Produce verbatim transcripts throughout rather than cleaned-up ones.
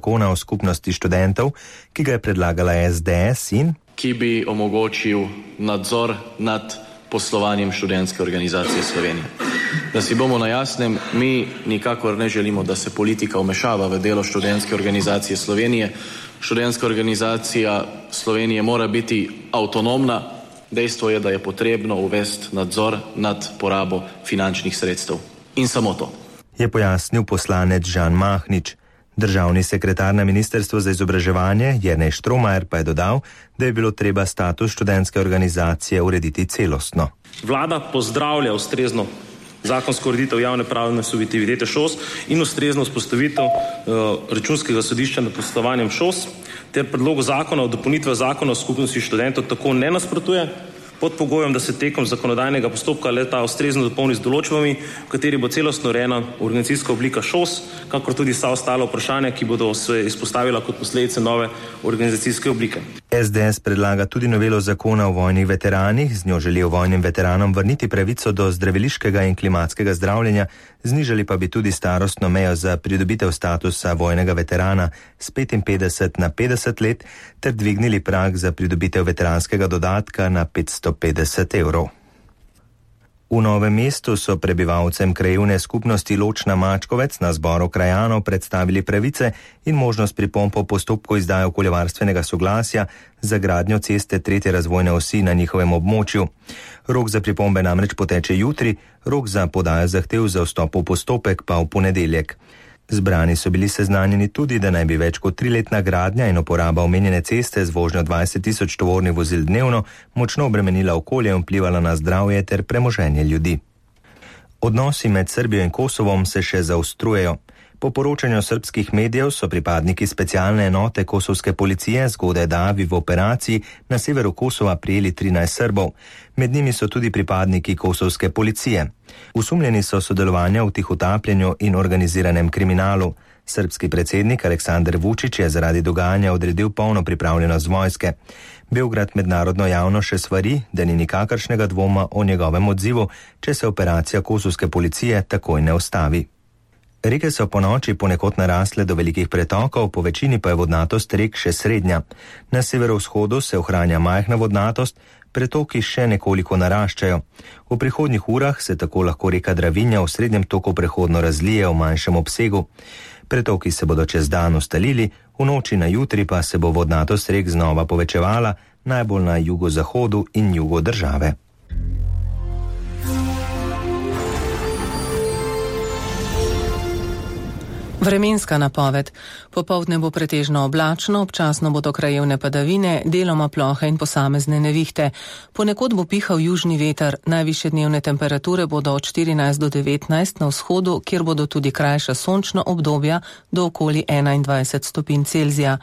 zakona o skupnosti študentov, ki ga je predlagala S D S in ki bi omogočil nadzor nad poslovanjem študentske organizacije Slovenije. Da si bomo na jasnem, mi nikakor ne želimo, da se politika vmešava v delo študentske organizacije Slovenije. Študentska organizacija Slovenije mora biti avtonomna. Dejstvo je, da je potrebno uvesti nadzor nad porabo finančnih sredstev. In samo to. Je pojasnil poslanec Žan Mahnič. Državni sekretar na Ministrstvu za izobraževanje Jernej Štromajer pa je dodal, da je bilo treba status študentske organizacije urediti celostno. Vlada pozdravlja ustrezno zakonsko ureditev javne pravne subjektivitete ŠOS in ustrezno vzpostavitev uh, računskega sodišča nad poslovanjem ŠOS ter predlogu zakona o dopolnitvah zakona o skupnosti študentov tako ne nasprotuje, pod pogojem, da se tekom zakonodajnega postopka le-ta ustrezno dopolni z določbami, v kateri bo celostno urejena organizacijska oblika ŠOS, kakor tudi vsa ostala vprašanja, ki bodo se izpostavila kot posledice nove organizacijske oblike. S D S predlaga tudi novelo zakona o vojnih veteranih, z njo želijo vojnim veteranom vrniti pravico do zdraviliškega in klimatskega zdravljenja, znižali pa bi tudi starostno mejo za pridobitev statusa vojnega veterana s petinpetdeset na petdeset let ter dvignili prag za pridobitev veteranskega dodatka na petsto petdeset evrov. V Novem mestu so prebivalcem krajevne skupnosti Ločna Mačkovec na zboru krajanov predstavili pravice in možnost pripomb po postopku izdaje okoljevarstvenega soglasja za gradnjo ceste tretje razvojne osi na njihovem območju. Rok za pripombe namreč poteče jutri, rok za podajo zahtev za vstop v postopek pa v ponedeljek. Zbrani so bili seznanjeni tudi, da naj bi več kot triletna gradnja in uporaba omenjene ceste z vožnjo dvajset tisoč tovornih vozil dnevno močno obremenila okolje in vplivala na zdravje ter premoženje ljudi. Odnosi med Srbijo in Kosovom se še zaostrujejo. Po poročanju srbskih medijev so pripadniki specialne enote kosovske policije zgodaj davi v operaciji na severu Kosova prijeli trinajst Srbov. Med njimi so tudi pripadniki kosovske policije. Usumljeni so sodelovanja v tihotapljenju in organiziranem kriminalu. Srbski predsednik Aleksandar Vučić je zaradi dogajanja odredil polno pripravljenost vojske. Beograd mednarodno javno še svari, da ni nikakršnega dvoma o njegovem odzivu, če se operacija kosovske policije takoj ne ustavi. Reke so po noči ponekod narasle do velikih pretokov, po večini pa je vodnatost rek še srednja. Na severovzhodu se ohranja majhna vodnatost, pretoki še nekoliko naraščajo. V prihodnjih urah se tako lahko reka Dravinja v srednjem toku prehodno razlije v manjšem obsegu. Pretoki se bodo čez dan ustalili, v noči na jutri pa se bo vodnatost rek znova povečevala, najbolj na jugozahodu in jugu države. Vremenska napoved. Popoldne bo pretežno oblačno, občasno bodo krajevne padavine, deloma plohe in posamezne nevihte. Ponekod bo pihal južni veter, najvišje dnevne temperature bodo od štirinajst do devetnajst na vzhodu, kjer bodo tudi krajša sončna obdobja do okoli enaindvajset stopinj Celzija.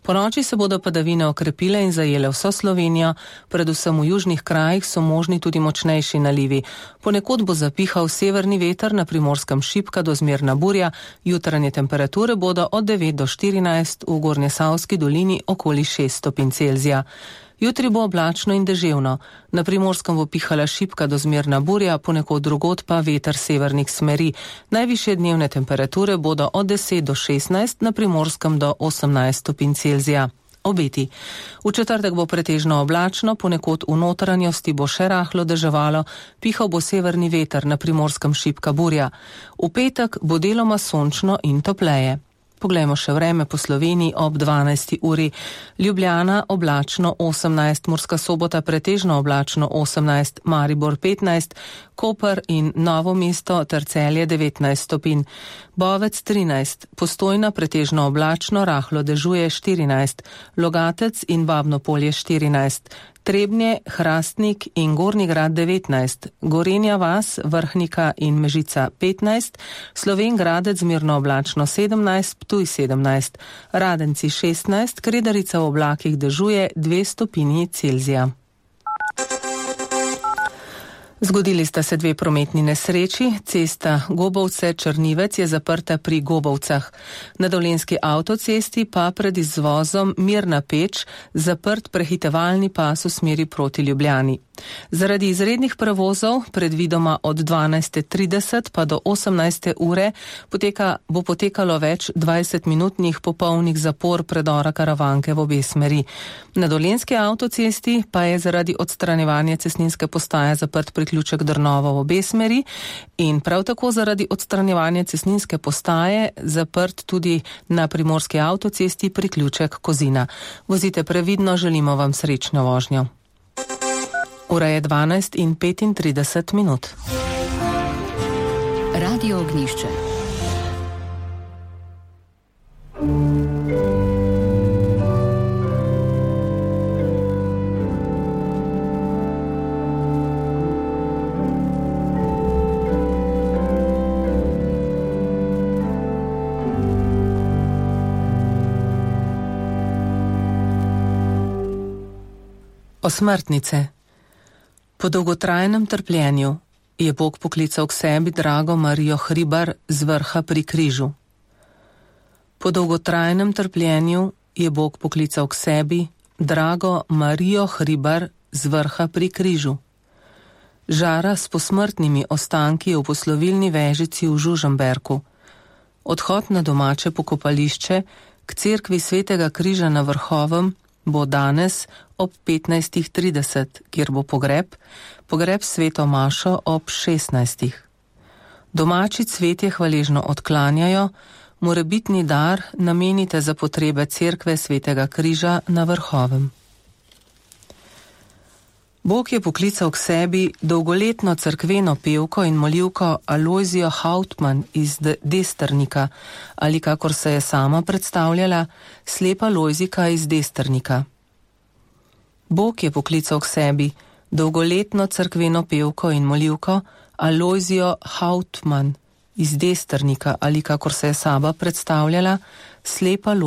Po noči se bodo padavine okrepile in zajele vso Slovenijo, predvsem v južnih krajih so možni tudi močnejši nalivi. Ponekod bo zapihal severni veter, na Primorskem šibka do zmerna burja, jutranje temperature bodo od devet do štirinajst, v Gornjesavski dolini okoli šest stopinj Celzija. Jutri bo oblačno in deževno. Na Primorskem bo pihala šibka do zmerna burja, ponekod drugod pa veter severnih smeri. Najvišje dnevne temperature bodo od deset do šestnajst, na Primorskem do osemnajst stopinj Celzija. Obeti. V četrtek bo pretežno oblačno, ponekod v notranjosti bo še rahlo deževalo, pihal bo severni veter, na Primorskem šibka burja. V petek bo deloma sončno in topleje. Poglejmo še vreme po Sloveniji ob dvanajsti uri. Ljubljana oblačno osemnajst, Murska Sobota pretežno oblačno osemnajst, Maribor petnajst, Koper in Novo mesto ter Celje devetnajst stopinj. Bovec trinajst, Postojna pretežno oblačno, rahlo dežuje štirinajst, Logatec in Babno Polje štirinajst, Trebnje, Hrastnik in Gornji Grad devetnajst, Gorenja vas, Vrhnika in Mežica petnajst, Slovenj Gradec zmerno oblačno sedemnajst, Ptuj sedemnajst, Radenci šestnajst, Kredarica v oblakih dežuje dve stopinji Celzija. Zgodili sta se dve prometni nesreči, cesta Gobovce-Črnivec je zaprta pri Gobovcah. Na dolenjski avtocesti pa pred izvozom Mirna Peč zaprt prehitevalni pas v smeri proti Ljubljani. Zaradi izrednih prevozov, predvidoma od dvanajste trideset pa do osemnajste ure, poteka, bo potekalo več dvajsetminutnih popolnih zapor predora Karavanke v obe smeri. Na dolenjski avtocesti pa je zaradi odstranjevanja cestninske postaje zaprt priključek Drnovo v obe smeri in prav tako zaradi odstranjevanja cestninske postaje zaprt tudi na primorski avtocesti priključek Kozina. Vozite previdno, želimo vam srečno vožnjo. Ura je dvanajst in petintrideset minut. Radio Ognjišče. Osmrtnice. Po dolgotrajnem trpljenju je Bog poklical k sebi drago Marijo Hribar z vrha pri križu. Po dolgotrajnem trpljenju je Bog poklical k sebi drago Marijo Hribar z vrha pri križu. Žara s posmrtnimi ostanki v poslovilni vežici v Žužemberku. Odhod na domače pokopališče k cerkvi Svetega križa na Vrhovem bo danes ob petnajstih trideset, kjer bo pogreb, pogreb Sveto mašo ob šestnajstih. Domači cvetje hvaležno odklanjajo, morebitni dar namenite za potrebe cerkve Svetega križa na Vrhovem. Bog je poklical k sebi dolgoletno cerkveno pevko in molivko Alojzijo Hautman iz Destrnika, ali kakor se je sama predstavljala, slepa Lojzika iz Destrnika. Bog je poklical k sebi dolgoletno cerkveno pevko in molivko Alojzijo Hautman iz Destrnika, ali kakor se je sama predstavljala, slepa Lojzika.